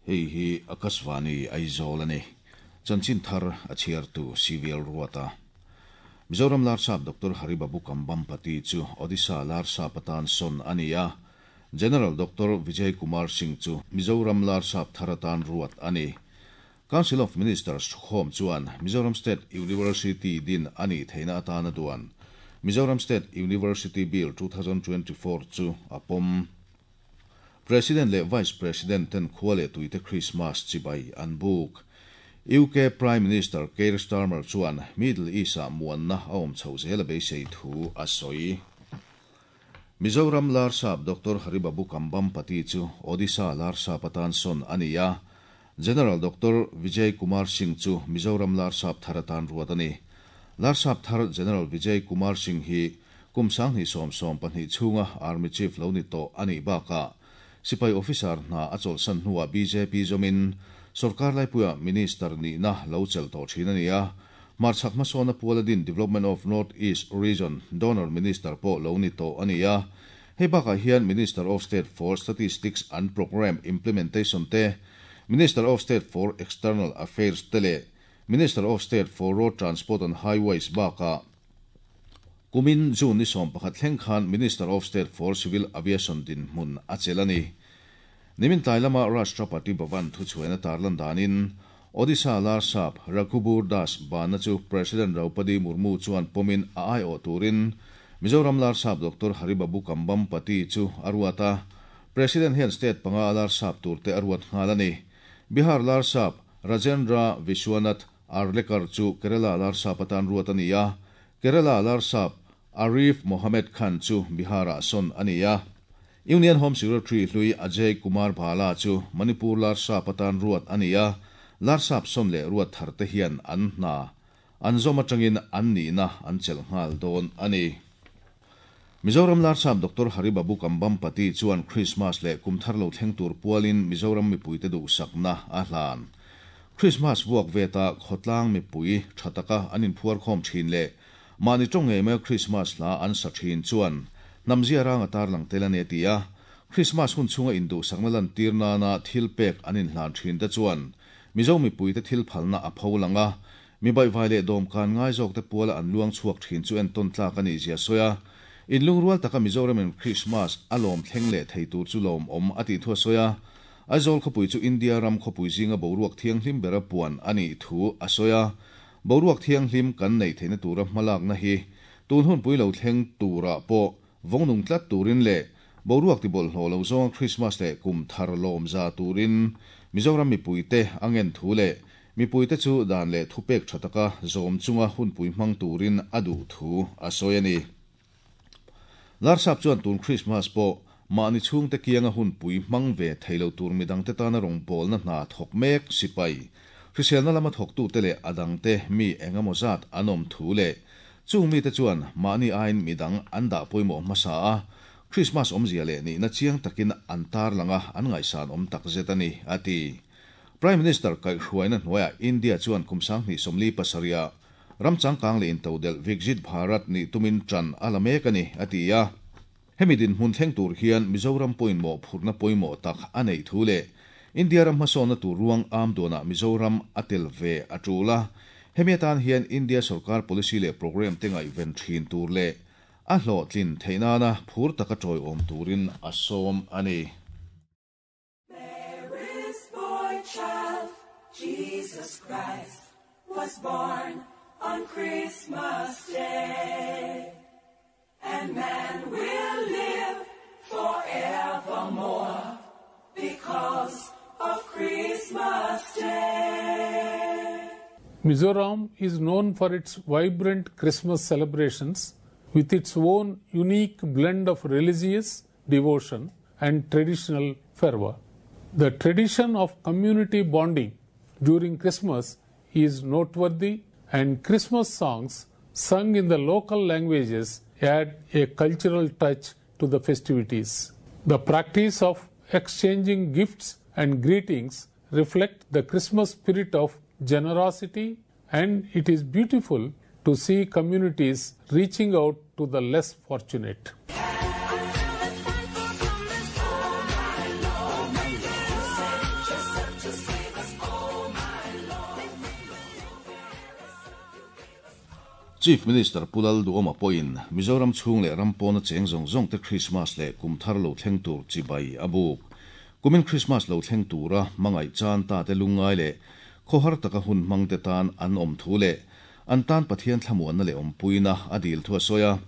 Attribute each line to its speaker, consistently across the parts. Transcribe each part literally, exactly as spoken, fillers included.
Speaker 1: Hei hi Akashvani Aizawl ani. Chanchin thar a chhiartu Civil Ruata. Mizoram Larsap Doctor Haribabu Kambhampati chu Odisha Larsap atan sawn ani a. General Doctor Vijay Kumar Singh chu Mizoram Larsap thar atan ruat ani. Council of Ministers thukhawm chuan Mizoram State University din ani theina atana duan. Mizoram State University Bill twenty twenty-four chu apom. President le Vice President ten khuale tuite Christmas chibai an buk. U K Prime Minister Keir Starmer chuan Middle East a muanna a awm chho zel a beisei thu a sawi. Mizoram Larsap Doctor Haribabu Kambhampati chu Odisha Larsap atan sawn ani a. General Doctor Vijay Kumar Singh chu Mizoram Larsap thar atan ruat ani. Larsap thar General Vijay Kumar Singh hi kum sang hnih sawm sawm pahnih chhunga Army Chief lo ni tawh ani bakah Sipai officer hna a chawlhsan hnuah B J P zawmin Sarkar laipuia Minister nihna lo chel tawh thin ani a. Hmarchhak hmasawna Pualadin Development of North East Region Donor Minister pawh lo ni tawh ani a. Hei bakah hian Minister of State for Statistics and Program Implementation te, Minister of State for External Affairs te leh Minister of State for Road Transport and Highways bakah kumin June ni sawm pakhat thleng khan Minister of State for Civil Aviation din hmun a chel ani. Nimin tlai lama Rashtrapati Bhavan thuchhuaina tarlan danin Odisha Larsap Raghubur Das bana chu President Draupadi Murmu chuan pomin a ai aw turin Mizoram Larsap Doctor Haribabu Kambhampati chu aruata. President hian state panga Larsap turte aruat nghal ani. Bihar Larsap Rajendra Vishwanath Arlekar chu Kerala Larsap atan ruat ani a. Kerala Larsap Arif Mohammed Khan chu Bihara sawn ani a. Union Home Secretary Hlui Ajay Kumar Bhala chu Manipur Larsap atan ruat ani a. Larsap sawn leh ruat thar te hian an hna an zawm atangin an nihna an chel nghal dawn ani. Mizoram Larsap Doctor Haribabu Kambhampati chuan Christmas leh kum thar lo thleng tur pualin Mizoram mipuite duhsakna a hlan. Christmas vuak veta khawtlang mipui thataka an inphuar khawm thin leh mahni tawng ngei mai Christmas la an sa thin chuan namzia ranga tarlang tel ani ti a. Christmas hun chhunga induhsakna lan tir nana thil pek an inhlan thin te chuan Mizo mipuite thil phalna a pho langa mi bai vai leh dawm kan ngai zawk te puala an luang chhuak thin chu en tawn tlak ani zia sawi a. In lungrual taka Mizoramin Christmas a lawm thleng leh thei tur chu lawm awm a tih thu a sawi a. Aizawl khawpui chu India ram khawpui zinga boruak thianghlim bera puan ani thu a sawi a. Boruak thianghlim kan nei theihna tura hmalakna hi tun hun pui lo thleng tura pawh vawngnung tlat turin leh boruak tibawlhhlawh lo zawnga Christmas leh kum thar lawm za turin Mizoram mipuite angen thu leh mipuite chu dan leh thupek tha taka zawm chunga hunpui hmang turin a duh thu a sawi ani. Larsap chuan tun Christmas pawh mahni chhungte kianga hunpui hmang ve theilo tur midangte tana rawngbawlna hna thawk mek sipai hriselna lama thawktu te leh adangte mi engemaw zat an awm thu leh chung mite chuan mahni aiin midang an dah pawimawh hmasa a. Christmas awmzia leh nihna chiang takin an tar langa an ngaihsan awm tak zet ani a ti. Prime Minister kaihhruaina hnuaiah India chuan kum sang hnih sawmli pasarih ram changkang leh intodel Viksit Bharat ni tumin tran a la mek ani a ti a. Hemi din hmun thleng tur hian Mizoram pawimawh phurna pawimawh tak a nei thu leh India ram hmasawna tur ruang am duanah Mizoram a tel ve a tul a. Hemi atan hian India sarkar policy leh program te ngaihven thin tur leh a hlawhtlin theihnana phur taka tawiawm turin a sawm ani.
Speaker 2: Mary's boy child, Jesus Christ, was born on Christmas Day. And man will live forevermore because of Christmas Day.
Speaker 3: Mizoram is known for its vibrant Christmas celebrations with its own unique blend of religious devotion and traditional fervor. The tradition of community bonding during Christmas is noteworthy, and Christmas songs sung in the local languages add a cultural touch to the festivities. The practice of exchanging gifts and greetings reflect the Christmas spirit of generosity, and it is beautiful to see communities reaching out to the less fortunate.
Speaker 1: Chief Minister Pu Lalduhoma pawhin Mizoram chhung leh ram pawna cheng zawng zawng te Krismas leh kumthar lo thleng tur chibai a buk. Kumin Krismas lo thleng tura hmangaih chan ta te lungngai leh khawhar taka hun hmang te tan an awm thu leh an tan Pathian thlamuanna leh awmpuina a dil thu a sawi a.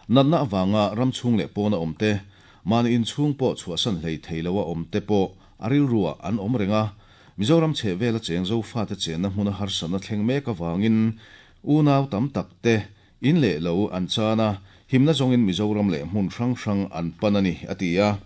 Speaker 1: Natna avanga ram chhung leh pawna awm te, mahni inchhung pawh chhuahsan hlei thei loa awm te pawh a rilruah an awm reng a. Mizoram chhehvela cheng Zofate chenna hmuna harsatna thleng mek avangin unau tam tak te in leh lo an chan a, himna zawngin Mizoram leh hmun hrang hrang an pan a ni, a ti a.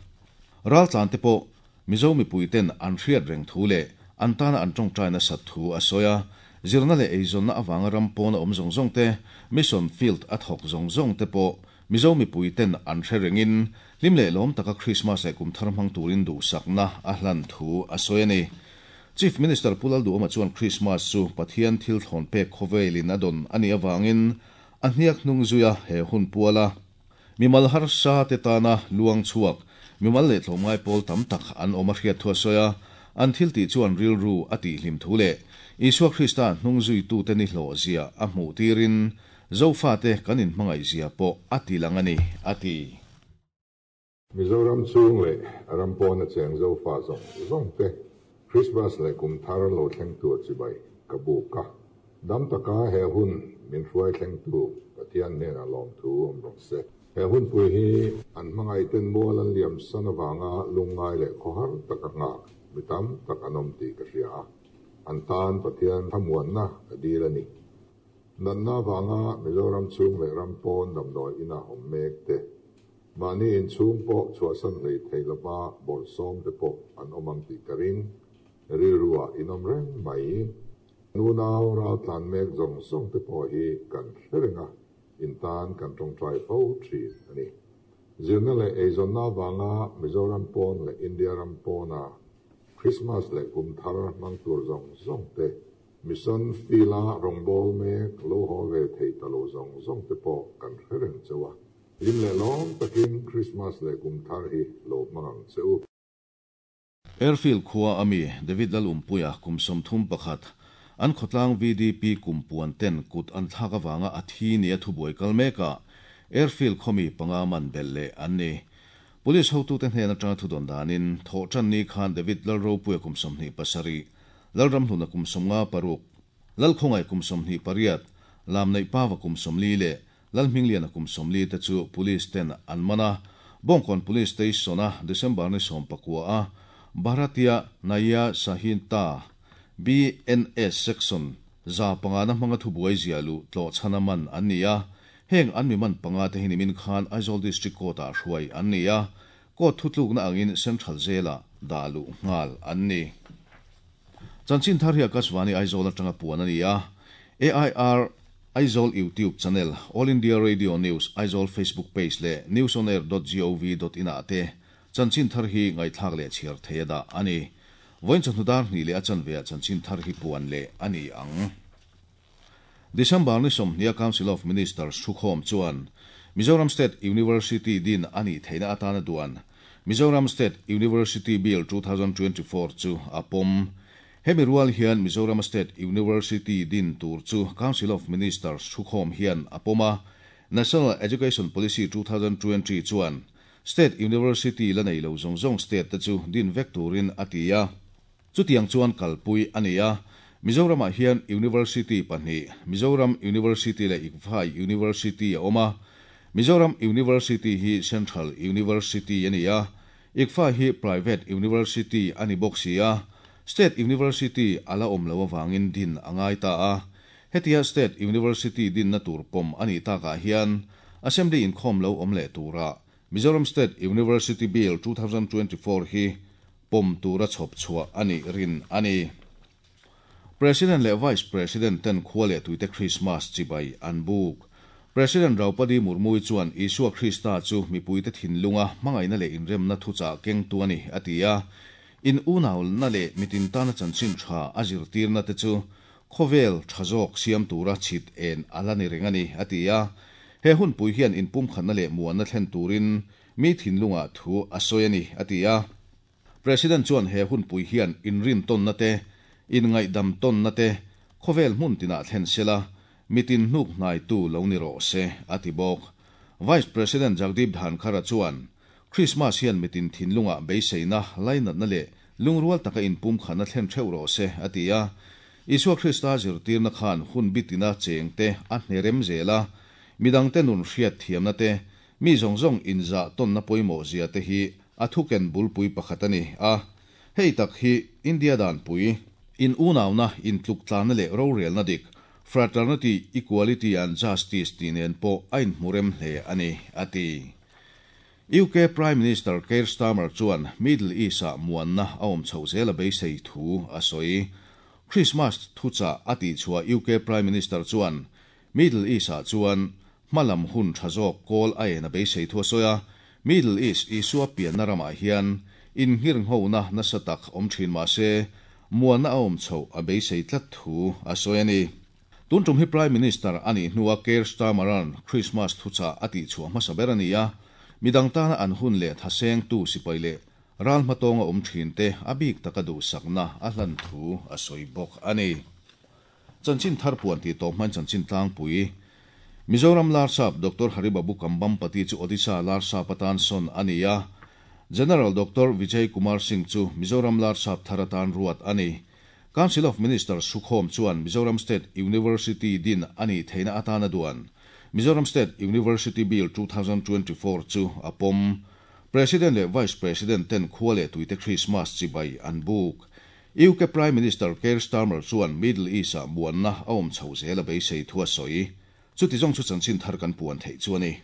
Speaker 1: Raltlan te pawh Mizo mipuiten an hriat reng thu leh an tana an tawngtai nasat thu a sawi a. Zirna leh eizawnna avanga ram pawna awm zawng zawng te, mission field a thawk zawng zawng te pawh Mizo mipuiten an hre rengin hlim leh lawm taka Krismas leh kumthar hmang turin duhsakna a hlan thu a sawi a ni. Chief Minister Pu Lalduhoma chuan Krismas chu Pathian thil thlawn pek khawvelin a dawn a nih avangin a hniak hnung zuia he hun puala mimal harsa te tana luang chhuak mimal leh tlawmngai pawl tam tak an awm a hriat thu a sawi a. An thil tih chuan rilru a tihhlim thu leh Isua Krista hnung zuitute ni hlawh zia a hmuh tirin Zofate kan inhmangaih zia pawh a tilang a ni, a ti.
Speaker 4: Mizoram chhung leh ram pawna cheng Zofa zawng zawng te Krismas leh kumthar lo thleng tur chibai ka buk a. Dam taka he hun min hruai thleng tu Pathian hnenah lawm thu awm rawh se. He hun pui hi an hmangaih ten mual an liam san avanga lungngai leh khawhar taka nghak mi tam tak an awm tih ka hria a. An tan Pathian thlamuanna ka dil a ni. Natna avanga Mizoram chhung leh ram pawn damdawi ina awm mek te, mahni inchhung pawh chhuahsan hlei thei lova bawrhsawm te pawh an awm ang tih ka ring. Rilruah in awm reng mai. Nunau raltlan mek zawng zawng te pawh hi kan hre reng a, in tan kan tawngtai fo thin a ni. Zirna leh eizawnna avanga Mizoram pawn leh India ram pawna Krismas leh kumthar hmang tur zawng zawng te, mission field-a rawngbâwl mek lo haw ve thei ta lo zawng zawng te pawh kan hre reng cheu a. Hlim leh lawm takin Krismas leh kumthar hi lo hmang ang che u.
Speaker 1: Airfield khua ami David Lalumpuia kum sawmthum pakhat an khawtlang V D P kum puan ten kut an thlak avanga a thi ni a thubuai kal meka Airfield khawmi panga man bel leh an ni. Police hotute hnen atanga thudawn danin thawhtan ni khan David Lalropuia kum sawmhnih pasarih, Lalramhluna kum sawmnga paruk, Lalkhawngai kum sawmhnih pariat, Lamneih Pawa kum sawmli leh Lalhmingliana kum sawmli te chu police ten an man a. Bawngkawn Police Station a December ni sawm pakua a Bharatiya Nyaya Sanhita B N S section za panga na hmanga thubuai zia lu tlawh chhana man an ni a. Heng an mi man panga te hi nimin khan Aizawl District Court ah hruai an ni a. Court thutlukna angin Central Jail-ah dah luh nghal an ni. Chanchin thar hi Akashvani Aizawl atanga puan a ni a. A I R Aizawl YouTube channel, All India Radio News Aizawl Facebook page leh newsonair dot gov dot in ah te chanchin thar hi ngaihthlak leh chhiar thei a dah a ni. Vawiin chawhnu dar hnih leh a chanve ah chanchin thar hi puan leh a ni ang. December ni sawmhnih a Council of Ministers thukhawm chuan Mizoram State University din a nih theihna atana duan Mizoram State University Bill two thousand twenty-four chu a pawm. Hemi rual hian Mizoram State University din tur chu Council of Ministers thukhawm hian a pawm a. National Education Policy two thousand twenty chuan State University la nei lo zawng zawng state te chu din vek turin a ti a. Chutiang chuan kalpui a ni a. Mizoramah hian University pahnih, Mizoram University leh I C F A University a awm a. Mizoram University hi Central University a ni a. I C F A hi Private University a ni bawk si a. State University a la awm lo avangin din a ngai ta a. Hetia State University dinna tur pawm a nih takah hian Assembly inkhawm lo awm leh tura Mizoram State University Bill two thousand twenty-four hi pawm tura chhawp chhuah a nih rin a ni. President leh Vice President ten khua leh tuite Christmas chibai an buk. President Draupadi Murmu chuan Isua Krista chu mipuite thinlunga hmangaihna leh inremna thuchah keng tu a ni a ti a. In unau na leh mitin tana chanchin tha a zirtirna te chu khawvel tha zawk siam tura chhit en ala ni reng a ni a ti a. He hun pui hian in pum khatna leh muanna thlen turin mi thinlunga thu a sawi a ni a ti a. President chuan he hun pui hian in rin tawnna te, in ngaihdam tawnna te, khawvel hmun tinah thlen sela, mitin hnuk hnai tu lo ni rawh se a ti bawk. Vice President Jagdeep Dhankhar chuan Christmas hian mitin thinlunga beiseina lainatna leh lungrual taka inpum khana thlen theuh rawh se a ti a. Isua Krista zirtirna khan hun bitina chengte a hnerem zela midangte nun hriat thiamna te mi zawng zawng inzah tawnna pawimawh zia te hi a thuken bulpui pakhat ani a. Hei tak hi India dan pui in unauna in tluk tlanna leh rorelna dik fraternity, equality and justice ti nen pawh a inhmurem hle ani a ti. U K Prime Minister Keir Starmer chuan Middle East a muanna a awm chho zel a beisei thu a sawi. Christmas thucha a ti chhuah U K Prime Minister chuan Middle East ah chuan hmalam hun tha zawk kawl a en a beisei thu a sawi a. Middle East Isua pianna ramah hian in nghir nghona nasa tak awm thin ma se muanna a awm chho a beisei tlat thu a sawi ani. Tun tum hi Prime Minister ani hnuah Keir Starmeran Christmas thucha a ti chhuah hmasa ber ani a. Midang tana an hun leh thaseng tu sipai leh ral hmatonga awm thin te a bik taka du sakna a hlan thu a sawi bawk ani. Chanchin thar puan ti to hman chanchin tlangpui. Mizoram Larsap Doctor Haribabu Kambhampati chu Odisha Larsap atan sawn ani a. General Doctor Vijay Kumar Singh chu Mizoram Larsap tharatan ruat ani. Council of Ministers Sukhom chuan Mizoram State University din ani theina atana duan Mizoram State University Bill twenty twenty-four chu apom. President le Vice President ten khuale tuite Christmas chibai an buk. U K Prime Minister Keir Starmer chuan Middle East a muanna a awm chho zel a beisei thu a sawi. Chuti zawng chu chanchin thar kan puan theih chu ani.